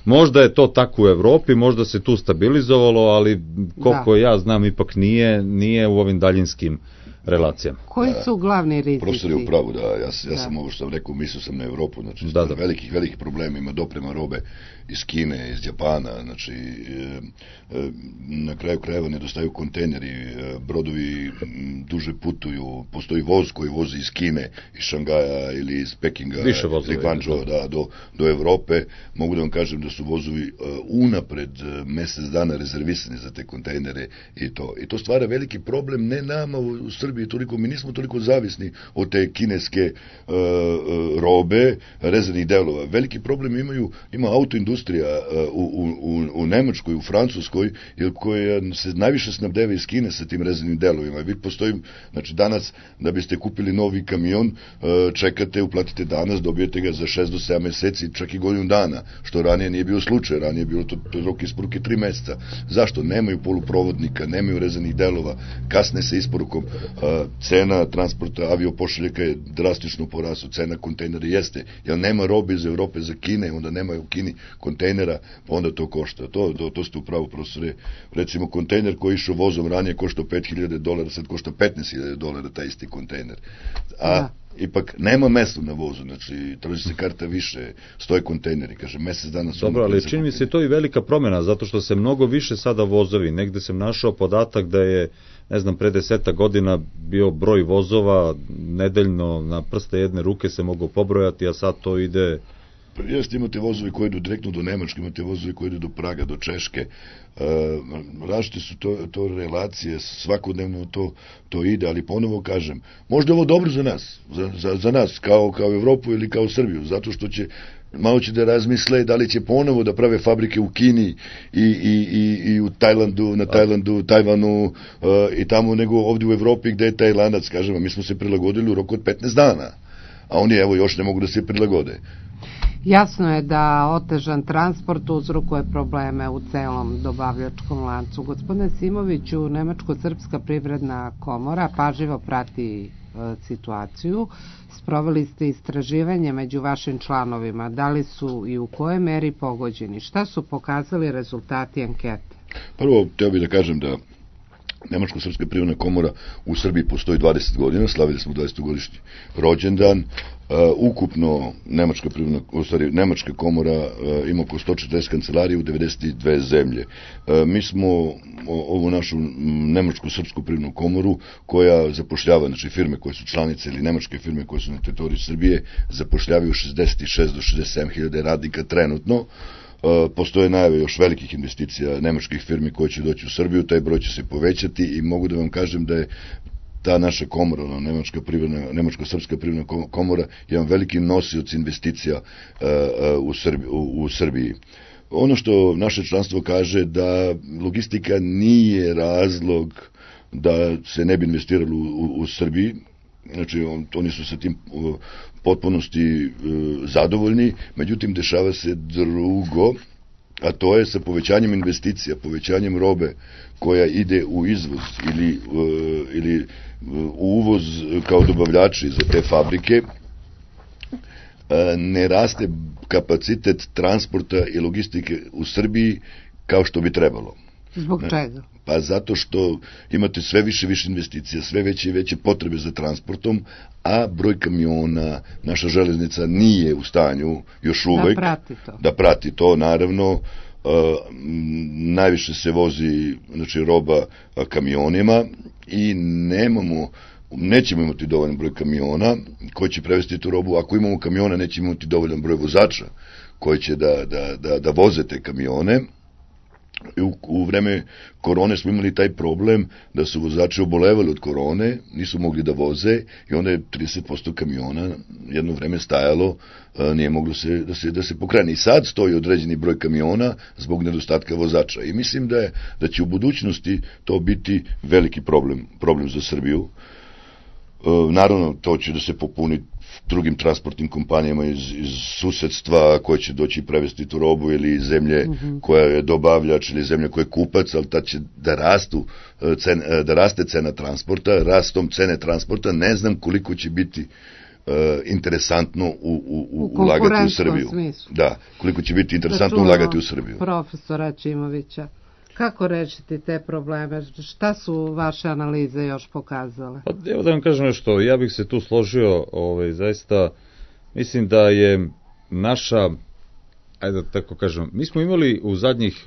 možda je to tako u Evropi, možda se tu stabilizovalo, ali koliko da. ja znam ipak nije, nije u ovim daljinskim relacijama. Koji su glavni rizici? Profesor je u pravu, da, ja, ja da. sam ovo što sam rekao, mislio sam na Evropu, znači da, da. velikih, velikih problema, ima doprema robe iz Kine, iz Japana, znači e, e, na kraju krajeva nedostaju kontejneri, e, brodovi duže putuju, postoji voz koji vozi iz Kine, iz Šangaja ili iz Pekinga, ili Guangzhou, da, do, do Evrope. Mogu da vam kažem da su vozovi e, unapred e, mesec dana rezervisani za te kontejnere, i to. I to stvara veliki problem, ne nama u, u Srbiji toliko, mi nismo toliko zavisni od te kineske e, e, robe, rezervnih delova. Veliki problem imaju, ima autoindustrija U, u, u Nemačkoj, u Francuskoj, koja se najviše snabdeva iz Kine sa tim rezervnim delovima. Vi postoji, znači danas, da biste kupili novi kamion, čekate, uplatite danas, dobijete ga za šest do sedam meseci, čak i godinu dana, što ranije nije bio slučaj, ranije je bilo to, to rok isporuke tri meseca. Zašto? Nemaju poluprovodnika, nemaju rezervnih delova, kasne sa isporukom, cena transporta aviopošiljaka je drastično porasla, cena kontejnera jeste, jer nema robe iz Evrope za Kine, onda nema u Kini kontejnera, pa onda to košta. To, to, to ste upravo, profesore. Recimo, kontejner koji išao vozom ranije koštao pet hiljada dolara, sad košta petnaest hiljada dolara taj isti kontejner. A ipak nema mesta na vozu, znači traži se karta više, stoje kontejneri, kaže, mesec dana su... Dobro, ali čini mi se to i velika promjena, zato što se mnogo više sada vozovi, negde sam našao podatak da je, ne znam, pre deseta godina bio broj vozova nedeljno na prste jedne ruke se mogu pobrojati, a sad to ide... Jeste, imate vozovi koji idu direktno do Nemačke, imate vozovi koji idu do Praga, do Češke, e, različite su to, to relacije, svakodnevno to, to ide, ali ponovo kažem, možda je ovo dobro za nas, za, za, za nas, kao, kao Evropu ili kao Srbiju, zato što će, malo će da razmisle da li će ponovo da prave fabrike u Kini i, i, i, i u Tajlandu, na Tajlandu, Tajvanu e, i tamo, nego ovdje u Evropi gde je Tajlanac, kažem, mi smo se prilagodili u roku od petnaest dana, a oni evo još ne mogu da se prilagode. Jasno je da otežan transport uzrokuje probleme u celom dobavljačkom lancu. Gospodine Simoviću, Nemačko-srpska privredna komora pažljivo prati e, situaciju. Sproveli ste istraživanje među vašim članovima. Da li su i u kojoj meri pogođeni? Šta su pokazali rezultati ankete? Prvo, teo bih da kažem da Nemačko-srpska privredna komora u Srbiji postoji dvadeset godina, slavili smo dvadesetogodišnji rođendan. Uh, ukupno Nemačka privredna, u stvari, Nemačka komora uh, ima oko sto četrdeset kancelarija u devedeset dve zemlje. Uh, mi smo o, ovu našu Nemačko-srpsku privrednu komoru koja zapošljava, znači firme koje su članice ili nemačke firme koje su na teritoriji Srbije zapošljavaju šezdeset šest do šezdeset sedam hiljada radnika trenutno. Uh, postoje najave još velikih investicija nemačkih firmi koje će doći u Srbiju, taj broj će se povećati i mogu da vam kažem da je ta naša komora, Nemačka privredna, Nemačko-srpska privredna komora, jedan veliki nosioc investicija uh, u, Srbiji, u, u Srbiji. Ono što naše članstvo kaže da logistika nije razlog da se ne bi investiralo u, u, u Srbiji, znači on, oni su sa tim uh, potpunosti uh, zadovoljni, međutim dešava se drugo, a to je sa povećanjem investicija, povećanjem robe koja ide u izvoz ili, uh, ili uh, u uvoz kao dobavljači za te fabrike, uh, ne raste kapacitet transporta i logistike u Srbiji kao što bi trebalo. Zbog čega? Pa zato što imate sve više više investicija, sve veće i veće potrebe za transportom, a broj kamiona, naša železnica nije u stanju još uvek da prati to. Da prati to, naravno, uh, najviše se vozi, znači, roba kamionima i nemamo, nećemo imati dovoljan broj kamiona koji će prevesti tu robu. Ako imamo kamiona, nećemo imati dovoljan broj vozača koji će da, da, da, da voze te kamione. U, u vreme korone smo imali taj problem da su vozači obolevali od korone, nisu mogli da voze i onda je trideset posto kamiona jedno vreme stajalo, nije moglo se, da, se, da se pokrene. I sad stoji određeni broj kamiona zbog nedostatka vozača. I mislim da, je, da će u budućnosti to biti veliki problem, problem za Srbiju. Naravno, to će da se popuni drugim transportnim kompanijama iz, iz susedstva koje će doći i prevesti tu robu ili zemlje mm-hmm. koja je dobavljač ili zemlja koja je kupac, ali ta će da rastu cen, da raste cena transporta, rastom cene transporta, ne znam koliko će biti uh, interesantno u, u, u, u ulagati u Srbiju. Smislu. Da, koliko će biti interesantno ulagati u Srbiju. Profesora Čimovića, kako rešiti te probleme? Šta su vaše analize još pokazale? Pa, evo da vam kažem nešto, ja bih se tu složio, ovaj, zaista, mislim da je naša, ajde da tako kažem, mi smo imali u zadnjih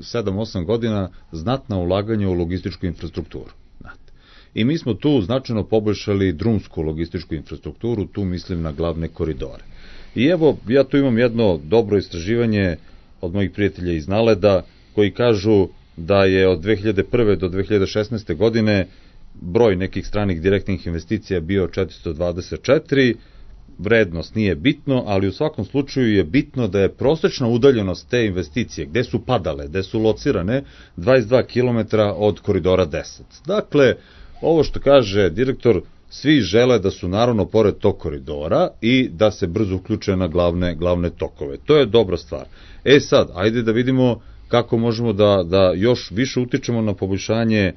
sedam osam godina znatna ulaganja u logističku infrastrukturu. I mi smo tu značajno poboljšali drumsku logističku infrastrukturu, tu mislim na glavne koridore. I evo, ja tu imam jedno dobro istraživanje od mojih prijatelja iz Naleda, koji kažu da je od dve hiljade prve do dve hiljade šesnaeste godine broj nekih stranih direktnih investicija bio četiristo dvadeset četiri, vrednost nije bitno, ali u svakom slučaju je bitno da je prosečna udaljenost te investicije, gde su padale, gde su locirane, dvadeset dva kilometra od koridora deset. Dakle, ovo što kaže direktor, svi žele da su naravno pored tog koridora i da se brzo uključe na glavne, glavne tokove. To je dobra stvar. E sad, ajde da vidimo kako možemo da, da još više utičemo na poboljšanje e,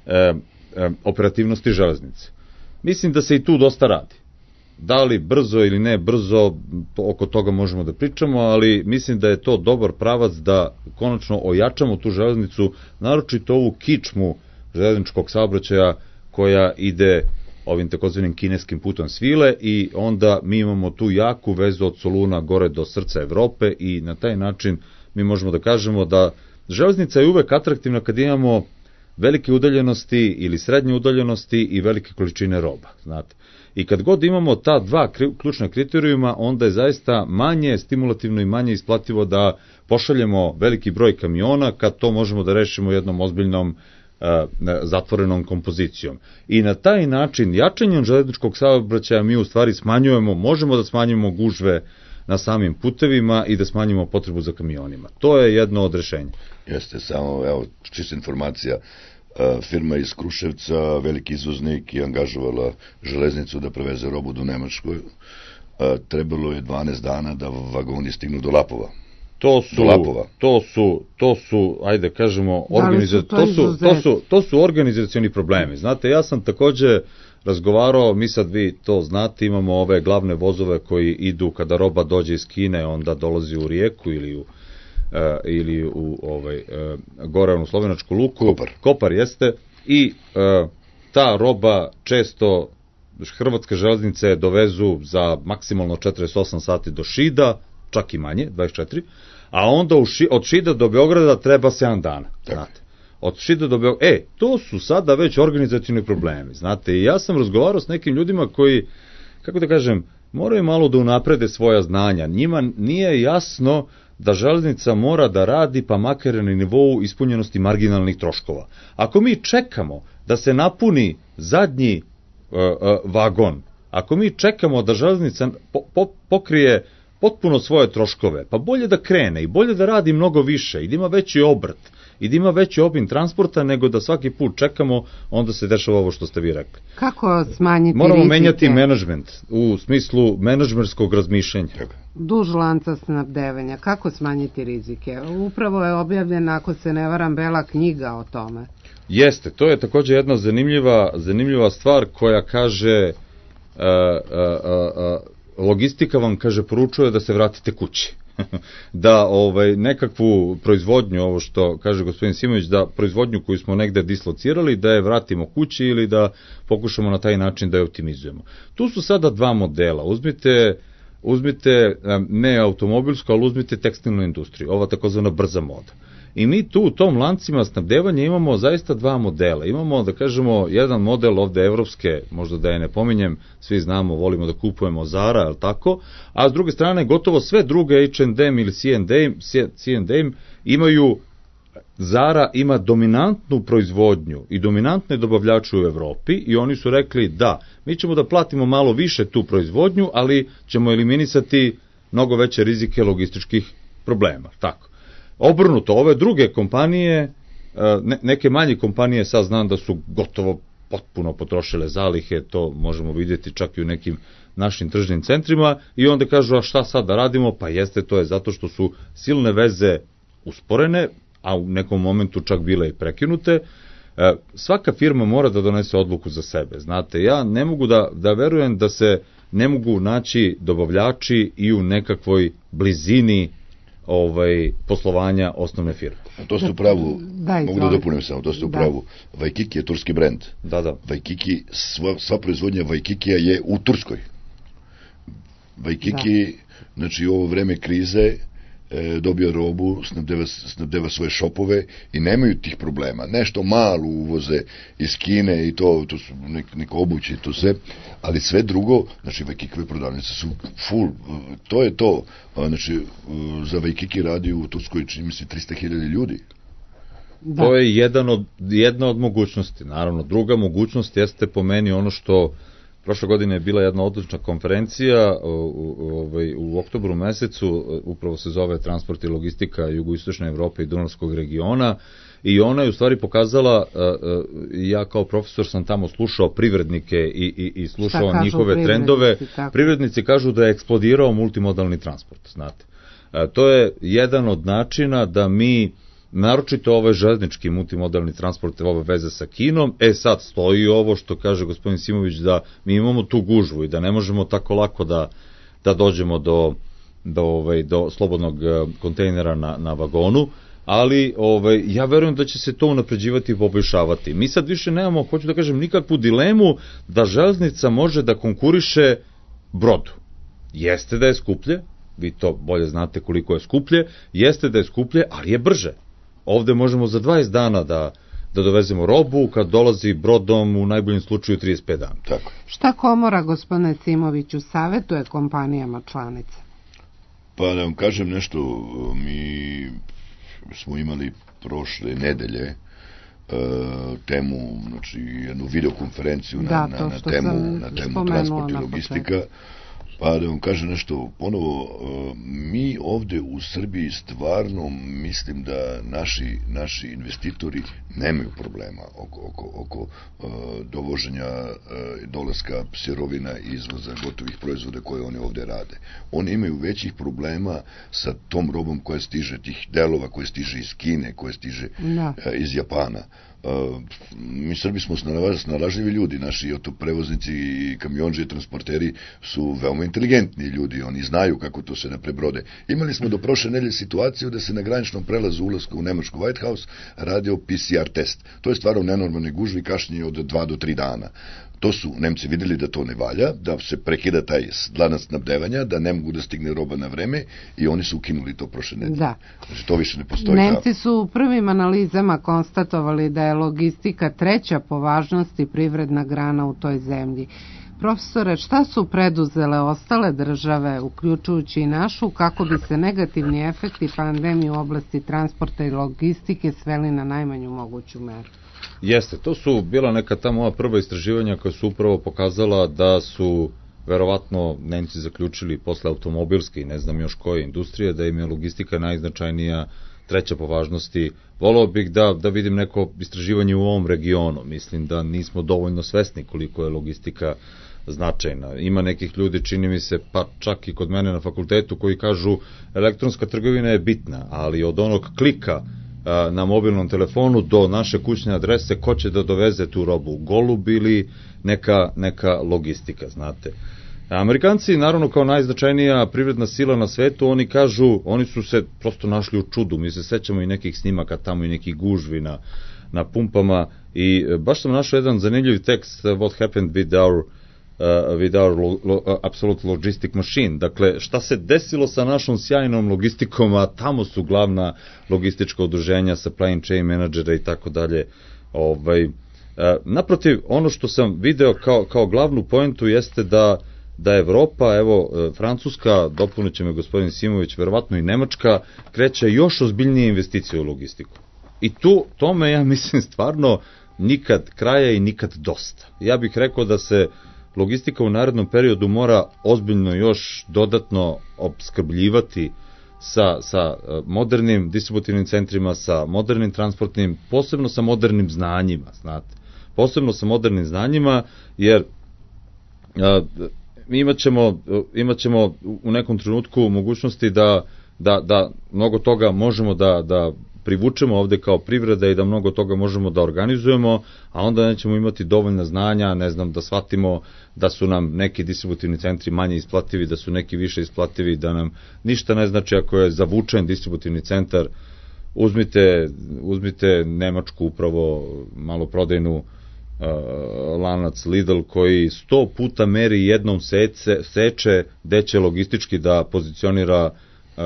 e, operativnosti železnice. Mislim da se i tu dosta radi. Da li brzo ili ne brzo, oko toga možemo da pričamo, ali mislim da je to dobar pravac da konačno ojačamo tu železnicu, naročito ovu kičmu železničkog saobraćaja koja ide ovim takozvanim kineskim putom svile i onda mi imamo tu jaku vezu od Soluna gore do srca Evrope i na taj način mi možemo da kažemo da železnica je uvek atraktivna kad imamo velike udaljenosti ili srednje udaljenosti i velike količine roba, znate. I kad god imamo ta dva ključna kriterijuma, onda je zaista manje stimulativno i manje isplativo da pošaljemo veliki broj kamiona kad to možemo da rešimo jednom ozbiljnom zatvorenom kompozicijom. I na taj način, jačanjem železničkog saobraćaja mi u stvari smanjujemo, možemo da smanjimo gužve na samim putevima i da smanjimo potrebu za kamionima. To je jedno od rešenja. Jeste, samo, evo, čista informacija, firma iz Kruševca, veliki izvoznik, je angažovala železnicu da preveze robu do Nemačkoj. Trebalo je dvanaest dana da vagoni stignu do Lapova. To su, to su, to su, ajde kažemo, organiza... to, to, su, to, su, to su organizacioni problemi. Znate, ja sam takođe razgovarao, mi sad vi to znate, imamo ove glavne vozove koji idu kada roba dođe iz Kine, onda dolazi u Rijeku ili u, uh, ili u ovaj, uh, gore u slovenačku luku. Kopar. Kopar jeste. I uh, ta roba često hrvatske železnice dovezu za maksimalno četrdeset osam sati do Šida, čak i manje, dvadeset četiri, a onda u ši, od Šida do Beograda treba sedam dana, znate. Od Šida do Beograda, e, to su sada već organizacioni problemi, znate, i ja sam razgovarao s nekim ljudima koji, kako da kažem, moraju malo da unaprede svoja znanja, njima nije jasno da železnica mora da radi pa makar na nivou ispunjenosti marginalnih troškova. Ako mi čekamo da se napuni zadnji uh, uh, vagon, ako mi čekamo da železnica po, po, pokrije potpuno svoje troškove, pa bolje da krene i bolje da radi mnogo više i da ima veći obrt i da ima veći obim transporta nego da svaki put čekamo, onda se dešava ovo što ste vi rekli. Kako smanjiti Moramo rizike? menjati menadžment u smislu menadžmerskog razmišljanja. Duž lanca snabdevanja. Kako smanjiti rizike? Upravo je objavljena, ako se ne varam, bela knjiga o tome. Jeste, to je takođe jedna zanimljiva, zanimljiva stvar koja kaže uh, uh, uh, logistika vam, kaže, poručuje da se vratite kući. Da ovaj, nekakvu proizvodnju, ovo što kaže gospodin Simović, da proizvodnju koju smo negde dislocirali, da je vratimo kući ili da pokušamo na taj način da je optimizujemo. Tu su sada dva modela. Uzmite, uzmite ne automobilsku, ali uzmite tekstilnu industriju, ova takozvana brza moda. I mi tu u tom lancima snabdevanja imamo zaista dva modela. Imamo, da kažemo, jedan model ovde evropske, možda da je ne pominjem, svi znamo, volimo da kupujemo Zara, je li tako? A s druge strane, gotovo sve druge H and M ili C and M imaju, Zara ima dominantnu proizvodnju i dominantne dobavljače u Evropi i oni su rekli da, mi ćemo da platimo malo više tu proizvodnju, ali ćemo eliminisati mnogo veće rizike logističkih problema, tako. Obrnuto, ove druge kompanije, neke manje kompanije, sad znam da su gotovo potpuno potrošile zalihe, to možemo vidjeti čak i u nekim našim tržnim centrima, i onda kažu, a šta sad da radimo? Pa jeste, to je zato što su silne veze usporene, a u nekom momentu čak bile i prekinute. Svaka firma mora da donese odluku za sebe, znate, ja ne mogu da, da verujem da se ne mogu naći dobavljači i u nekakvoj blizini ovaj, poslovanja osnovne firme. A to ste u pravu, da, mogu da dopunim samo, to ste u pravu. Da. Waikiki je turski brend. Da, da. Waikiki, sva, sva proizvodnja Waikikija je u Turskoj. Waikiki, da. Znači u ovo vreme krize, e, dobio robu, snabdeva, snabdeva svoje šopove i nemaju tih problema. Nešto malo uvoze iz Kine i to, to su nek, neko obuće i to sve, ali sve drugo, znači Waikikove prodavnice su full, to je to. Znači, za Waikiki radi u Turskoj, čini mi se, trista hiljada ljudi. Da. To je jedan od, jedna od mogućnosti, naravno. Druga mogućnost jeste po meni ono što prošle godine je bila jedna odlična konferencija u, u, u, u oktobru mesecu, upravo se zove Transport i logistika jugoistočne Evrope i Dunavskog regiona, i ona je u stvari pokazala, ja kao profesor sam tamo slušao privrednike i, i, i slušao njihove trendove. Tako. Privrednici kažu da je eksplodirao multimodalni transport, znate. To je jedan od načina da mi, naročito ovaj železnički multimodalni transport, ove veze sa Kinom, e sad stoji ovo što kaže gospodin Simović, da mi imamo tu gužvu i da ne možemo tako lako da, da dođemo do, do, ovaj, do slobodnog kontejnera na, na vagonu. ali ovaj, ja verujem da će se to unapređivati i poboljšavati. Mi sad više nemamo, hoću da kažem, nikakvu dilemu da železnica može da konkuriše brodu. Jeste da je skuplje, vi to bolje znate koliko je skuplje, jeste da je skuplje, ali je brže. Ovde možemo za dvadeset dana da da dovezemo robu, kad dolazi brodom u najboljem slučaju trideset pet dana. Tako. Šta komora, gospodine Simoviću, savetuje kompanijama članice? Pa da vam kažem nešto, mi smo imali prošle nedelje uh, temu, znači jednu videokonferenciju na, da, na, na temu, na temu transport i logistika. Pa da vam kažem nešto ponovo, mi ovde u Srbiji stvarno mislim da naši, naši investitori nemaju problema oko, oko, oko uh, dovoženja uh, dolaska sirovina i izvoza gotovih proizvoda koje oni ovde rade. Oni imaju većih problema sa tom robom koja stiže, tih delova koje stiže iz Kine, koje stiže uh, iz Japana. Uh, mi Srbi smo snalažljivi ljudi, naši autoprevoznici i kamionđe, transporteri su veoma inteligentni ljudi, oni znaju kako to se ne prebrode. Imali smo do prošle nedelje situaciju da se na graničnom prelazu ulaska u Nemačku White House radio P C R test. To je stvarno nenormalne gužve i kašnjenje od dva do tri dana. To su Nemci videli da to ne valja, da se prekida taj lanac snabdevanja, da ne mogu da stigne roba na vreme i oni su ukinuli to prošle nedelje. Da. Znači, to više ne postoji. Nemci su u prvim analizama konstatovali da je logistika treća po važnosti privredna grana u toj zemlji. Profesore, šta su preduzele ostale države, uključujući i našu, kako bi se negativni efekti pandemije u oblasti transporta i logistike sveli na najmanju moguću meru? Jeste, to su bila neka ta moja prva istraživanja koja su upravo pokazala da su verovatno Nemci zaključili posle automobilske i ne znam još koje industrije, da im je logistika najznačajnija, treća po važnosti. Voleo bih da, da vidim neko istraživanje u ovom regionu. Mislim da nismo dovoljno svesni koliko je logistika značajna. Ima nekih ljudi, čini mi se, pa čak i kod mene na fakultetu, koji kažu elektronska trgovina je bitna, ali od onog klika na mobilnom telefonu do naše kućne adrese, ko će da doveze tu robu, golub ili neka, neka logistika, znate. Amerikanci, naravno, kao najznačajnija privredna sila na svetu, oni kažu, oni su se prosto našli u čudu. Mi se sećamo i nekih snimaka tamo i nekih gužvi na, na pumpama i baš sam našao jedan zanimljiv tekst, What happened with our Uh, with our lo, lo, uh, absolute logistic machine. Dakle, šta se desilo sa našom sjajnom logistikom, a tamo su glavna logistička udruženja, supply chain menadžera i tako dalje. Ovaj, uh, naprotiv, ono što sam video kao, kao glavnu poentu jeste da da Evropa, evo, Francuska, dopunit će me gospodin Simović, verovatno i Nemačka, kreće još ozbiljnije investicije u logistiku. I tu, tome, ja mislim, stvarno nikad kraja i nikad dosta. Ja bih rekao da se logistika u narednom periodu mora ozbiljno još dodatno opskrbljivati sa, sa modernim distributivnim centrima, sa modernim transportnim, posebno sa modernim znanjima, znate. Posebno sa modernim znanjima, jer a, mi imat ćemo, imat ćemo u nekom trenutku mogućnosti da, da, da mnogo toga možemo da, da privučemo ovde kao privreda i da mnogo toga možemo da organizujemo, a onda nećemo imati dovoljna znanja, ne znam, da shvatimo da su nam neki distributivni centri manje isplativi, da su neki više isplativi, da nam ništa ne znači ako je zavučen distributivni centar. Uzmite, uzmite Nemačku upravo maloprodajnu uh, lanac Lidl koji sto puta meri jednom sece, seče gde će logistički da pozicionira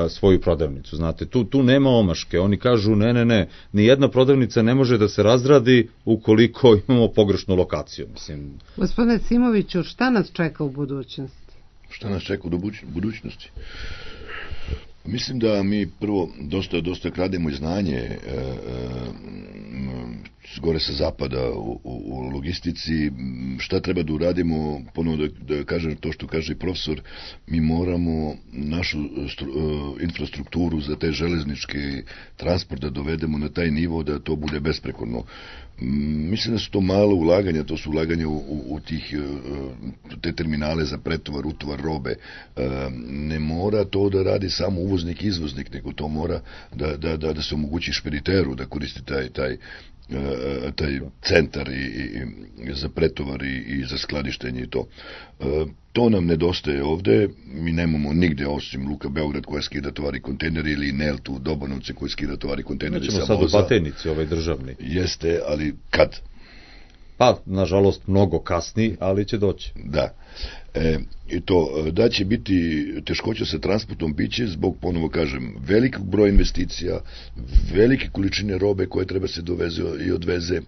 svoju prodavnicu, znate, tu, tu nema omaške, oni kažu ne, ne, ne, ni jedna prodavnica ne može da se razradi ukoliko imamo pogrešnu lokaciju, mislim. Gospodine Simoviću, šta nas čeka u budućnosti? Šta nas čeka u budućnosti? Mislim da mi prvo dosta, dosta krademo i znanje e, e, gore sa zapada u, u, u logistici. Šta treba da uradimo, ponovo da, da kažem to što kaže profesor, mi moramo našu stru, e, infrastrukturu za te železničke transport da dovedemo na taj nivo da to bude besprekorno. Mislim da su to malo ulaganja, to su ulaganja u, u, u tih, te terminale za pretovar, utovar robe. Ne mora to da radi samo uvoznik i izvoznik, nego to mora da, da, da, da se omogući špediteru da koristi taj, taj taj centar i, i za pretovar i, i za skladištenje i to. To nam nedostaje ovde, mi nemamo nigde osim Luka Beograd koja skida tovari kontejneri ili Nelt u Dobanovce koji skida tovari kontejneri sa voza. Nećemo sad u Batajnici, ovaj državni. Jeste, ali kad? Pa, nažalost, mnogo kasni, ali će doći. Da. E, i to, da će biti teškoća sa transportom biće zbog, ponovo kažem, velikog broja investicija, velike količine robe koje treba se doveze i odveze, e,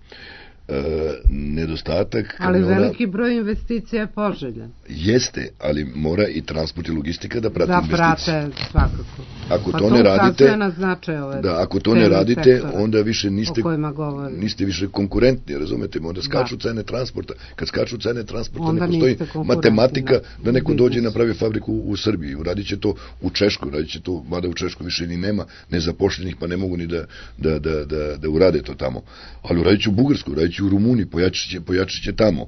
nedostatak ali kamiona, veliki broj investicija je poželjan. Jeste, ali mora i transport i logistika da prati da investicije. Da prate svakako. Ako pa to, to ne radite, na značaj ove da, ako to ne radite, sektora, onda više niste, niste više konkurentni, razumete, onda skaču da. cene transporta. Kad skaču cene transporta, onda ne postoji matematika da neko dođe i napravi fabriku u Srbiji. Uradit će to u Češkoj, uradit će to, mada u Češkoj više ni nema nezapošljenih, pa ne mogu ni da, da, da, da, da urade to tamo. Ali uradit će u Bugarskoj, uradit će u Rumuniji, pojačit će, pojačit će tamo.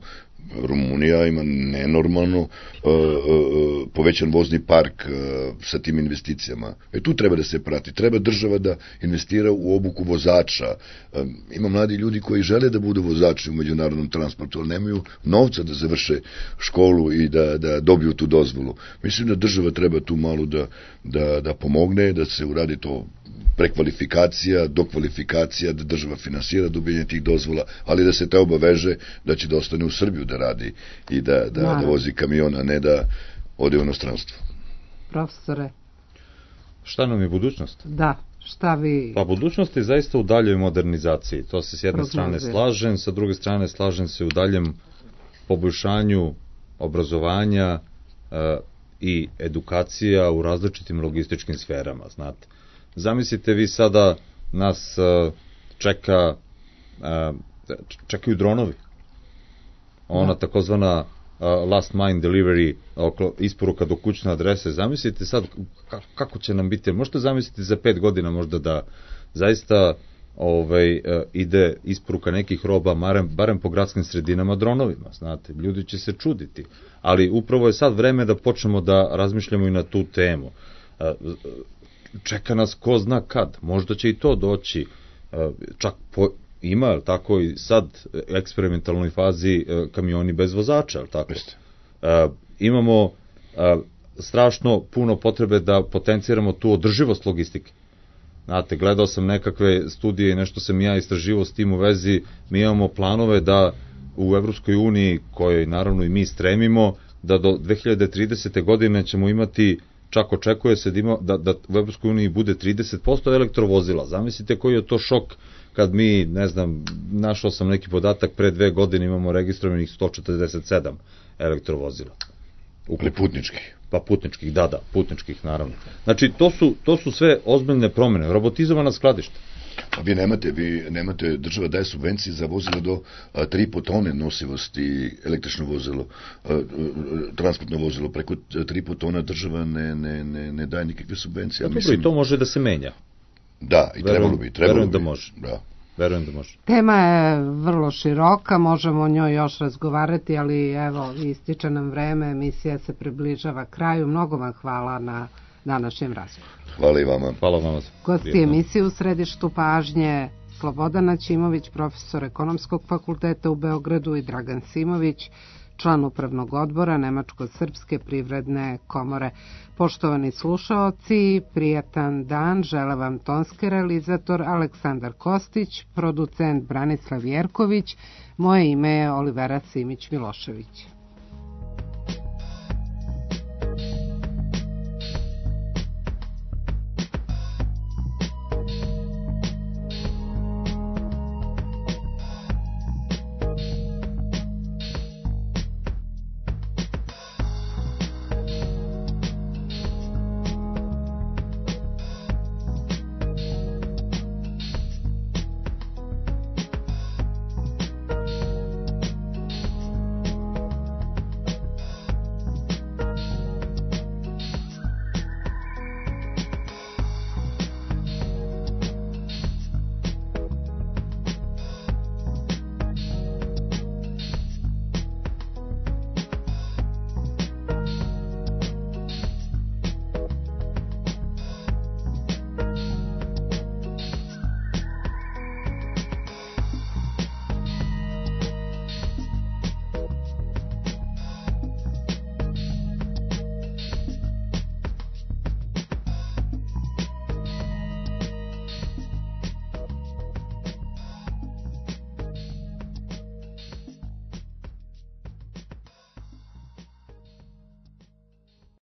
Rumunija ima nenormalno uh, uh, povećan vozni park uh, sa tim investicijama. E tu treba da se prati. Treba država da investira u obuku vozača. Uh, ima mladi ljudi koji žele da budu vozači u međunarodnom transportu, ali nemaju novca da završe školu i da, da dobiju tu dozvolu. Mislim da država treba tu malo da, da, da pomogne, da se uradi to prekvalifikacija, dokvalifikacija, da država finansira dobijanje tih dozvola, ali da se te obaveže da će da ostane u Srbiju da radi i da, da, da vozi kamion, a ne da ode u inostranstvo. Profesore. Šta nam je budućnost? Da, šta vi... Pa budućnost je zaista u daljoj modernizaciji. To se s jedne Prognozir. strane slažem, sa druge strane slažem se u daljem poboljšanju obrazovanja e, i edukacija u različitim logističkim sferama, znate. Zamislite vi sada nas uh, čeka uh, čekaju dronovi. Ona da. takozvana uh, last mile delivery, isporuka do kućne adrese. Zamislite sad kako će nam biti. Možete zamisliti za pet godina možda da zaista ovaj, uh, ide isporuka nekih roba barem, barem po gradskim sredinama dronovima. Znate, ljudi će se čuditi. Ali upravo je sad vreme da počnemo da razmišljamo i na tu temu. Uh, čeka nas ko zna kad, možda će i to doći, čak po, ima, tako i sad eksperimentalnoj fazi kamioni bez vozača, tako? E, imamo e, strašno puno potrebe da potenciramo tu održivost logistike. Znate, gledao sam nekakve studije i nešto sam ja istraživao s tim u vezi, mi imamo planove da u Evropskoj uniji, kojoj naravno i mi stremimo, da do dve hiljade tridesete. godine ćemo imati, čak očekuje se da, ima, da, da u Evropskoj uniji bude trideset posto elektrovozila. Zamislite koji je to šok kad mi, ne znam, našao sam neki podatak, pre dve godine imamo registrovanih sto četrdeset sedam elektrovozila. Ukupno putničkih. Pa putničkih, da, da, putničkih naravno. Znači, to su, to su sve ozbiljne promene. Robotizovana skladišta. Pa vi nemate, vi nemate, država daje subvencije za vozilo do tri i po tone nosivosti, električno vozilo, a, transportno vozilo, preko tri i po tona država ne, ne, ne, ne daje nikakve subvencije. Ja, dobro, mislim, i to može da se menja. Da, i verujem, trebalo bi. Trebalo verujem bi. da može. Da. Verujem da može. Tema je vrlo široka, možemo o njoj još razgovarati, ali evo, ističe nam vreme, emisija se približava kraju. Mnogo vam hvala na današnjem razgovoru. Hvala i vama. Hvala vama. Gosti emisije u središtu pažnje Slobodan Aćimović, profesor Ekonomskog fakulteta u Beogradu, i Dragan Simović, član upravnog odbora Nemačko-srpske privredne komore. Poštovani slušaoci, prijatan dan, žele vam tonski realizator Aleksandar Kostić, producent Branislav Jerković, moje ime je Olivera Simić Milošević.